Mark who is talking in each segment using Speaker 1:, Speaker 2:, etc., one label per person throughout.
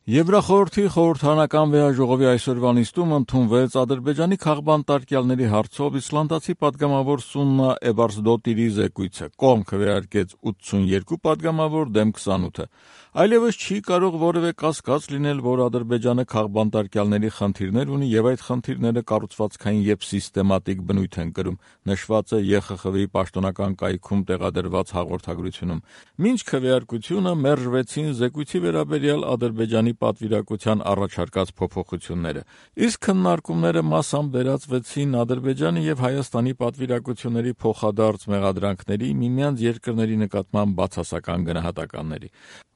Speaker 1: Եվրախորհրդի խորհրդարանական վեհաժողովի այսօրվա նիստում ընդունվեց Ադրբեջանի քաղբանտարկյալների հարցով իսլանդացի պատգամավոր Սուննա Էվարսդոտիրի զեկույցը։ Կողմ քվեարկեց 82 պատգամավոր դեմ 28-ը։ Այլևս չի կարող որևէ կասկած լինել, որ Ադրբեջանը քաղբանտարկյալների խնդիրներ ունի եւ այդ խնդիրները կառուցվածքային եւ սիստեմատիկ բնույթ են կրում, նշված է ԵԽԽՎ-ի պաշտոնական կայքում տեղադրված հաղորդագրությունում։ Մինչ քվեարկությունը մերժվեցին զեկույցի վերաբերյալ Ադրբեջանի պատվիրակության առաջարկած փոփոխությունները, իսկ քննարկումները մասամբ վերածվեցին Ադրբեջանի եւ Հայաստանի պատվիրակությունների փոխադարձ մեղադրանքների միմյանց երկրների նկատմամբ բացասական գնահատականների։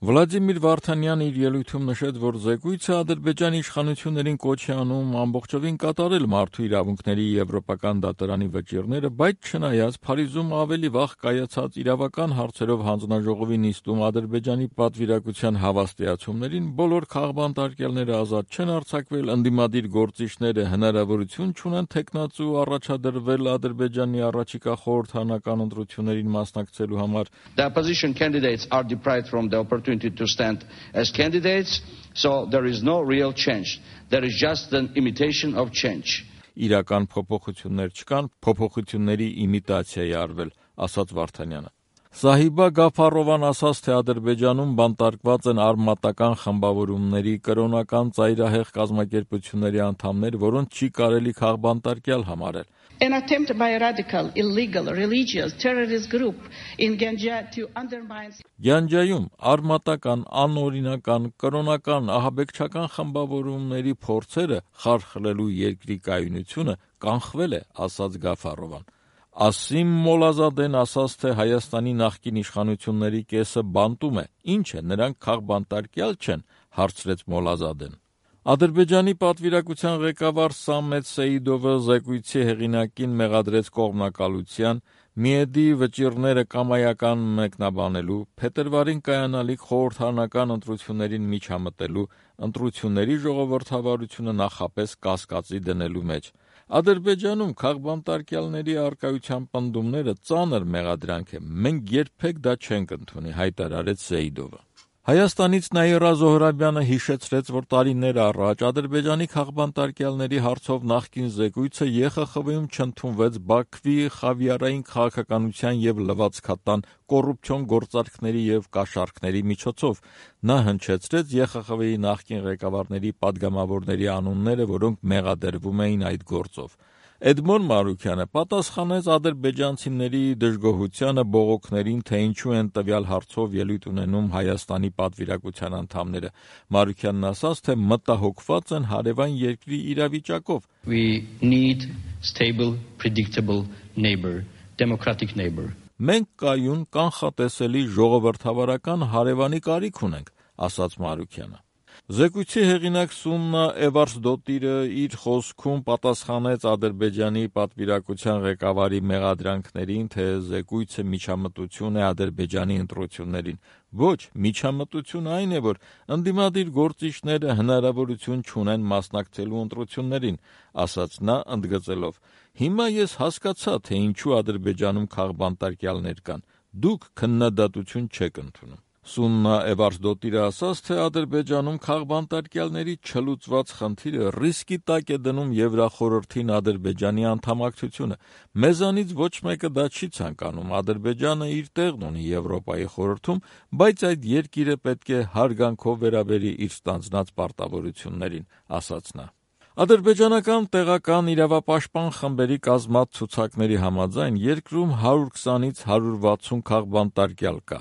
Speaker 1: Վլադիմիր Վարդանյանը իր ելույթում նշեց, որ զեկույցը Ադրբեջանի իշխանություններին կոչ է անում ամբողջովին կատարել մարդու իրավունքների եվրոպական դատարանի վճիռները, բայց չնայած Փարիզում ավելի վաղ կայացած իրավական հարցերով հանձնաժողովի նիստում Ադրբեջանի պատվիրակության հավաստիացումներին բոլոր քաղբանտարկյալները ազատ չեն արձակվել, ընդդիմադիր գործիչները հնարավորություն չունեն թեկնածու առաջադրվել Ադրբեջանի առաջիկա խորհրդարանական ընտրություններին մասնակցելու համար։
Speaker 2: The opposition candidates are deprived from the opportunity to stand as candidates, so there is no real change. There is just an imitation of change.
Speaker 1: Իրական փոփոխություններ չկան, փոփոխությունների իմիտացիա է արվել, ասաց Վարդանյանը։ Սահիբա Գաֆարովան ասաց, թե Ադրբեջանում բանտարկված են արմատական խմբավորումների, կրոնական ծայրահեղ կազմակերպությունների անդամներ, որոնց չի կարելի քաղբանտարկյալ համարել։
Speaker 3: An attempt by a radical, illegal, religious, terrorist group in Ganja to undermine...
Speaker 1: Գյանջայում արմատական, անօրինական, կրոնական, ահաբեկչական խմբավորումների փորձերը խարխլելու երկրի կայունությունը կանխվել է, ասաց Գաֆարովան։ Ասիմ Մոլազադեն ասաց, թե Հայաստանի նախկին իշխանությունների կեսը բանտում է, ինչ է, նրանք քաղբանտարկյալ չեն, հարցրեց Մոլազադեն։ Ադրբեջանի պատվիրակության ղեկավար Սամետ Սեիդովը զեկույցի հեղինակին մեղադրեց կողմնակալության, միեդի վճիռները կամայական մեկնաբանելու, փետրվարին կայանալիք խորհրդարանական ընտրություններին միջամտելու, ընտրությունների ժողովրդավարությունը նախապես կասկածի դնելու մեջ։ Ադրբեջանում քաղբանտարկյալների առկայության պնդումները ծանր մեղադրանք է, մենք երբեք դա չենք ընդունի, հայտարարեց Սեիդովը։ Հայաստանից Նաիրա Զոհրաբյանը հիշեցրեց, որ տարիներ առաջ Ադրբեջանի քաղբանտարկյալների հարցով նախկին զեկույցը ԵԽԽՎ-ում չընդունվեց Բաքվի խավիարային քաղաքականության եւ լվացքատան կոռուպցիոն գործարքների եւ կաշառքների միջոցով։ Նա հնչեցրեց ԵԽԽՎ-ի նախկին ղեկավարների պատգամավորների անունները, որոնք մեղադրվում էին այդ գործով։ Էդմոն Մարուքյանը պատասխանեց ադրբեջանցիների դժգոհությանը, բողոքներին, թե ինչու են տվյալ հարցով ելույթ ունենում Հայաստանի պատվիրակության անդամները։ Մարուքյանն ասաց, թե մտահոգված են հարևան երկրի իրավիճակով։
Speaker 4: We need stable, predictable neighbor, democratic neighbor.
Speaker 1: Մենք կայուն, կանխատեսելի ժողովրդավարական հարևանի կարիք ունենք, ասաց Մարուքյանը։ Զեկույցի հեղինակ Սուննա Էվարսդոտիրը իր խոսքում պատասխանեց Ադրբեջանի պատվիրակության ղեկավարի մեղադրանքներին, թե զեկույցը միջամտություն է Ադրբեջանի ընտրություններին։ Ոչ, միջամտություն այն է, որ ընդդիմադիր գործիչները հնարավորություն չունեն մասնակցելու ընտրություններին, ասաց նա, ընդգծելով. Հիմա ես հասկացա, թե ինչու Ադրբեջանում քաղբանտարկյալներ կան։ Դուք քննադատություն չեք ընդունում։ Սուննա Էվարսդոտիրը ասաց, թե Ադրբեջանում քաղբանտարկյալների չլուծված խնդիրը ռիսկի տակ է դնում Եվրախորհրդին Ադրբեջանի անդամակցությունը։ Մեզանից ոչ մեկը դա չի ցանկանում։ Ադրբեջանը իր տեղն ունի Եվրոպայի խորհրդում, բայց այդ երկիրը պետք է հարգանքով վերաբերի իր ստանձնած պարտավորություններին, ասաց նա։ Ադրբեջանական տեղական իրավապաշտպան խմբերի կազմած ցուցակների համաձայն երկրում 120-ից 160 քաղբանտարկյալ կա։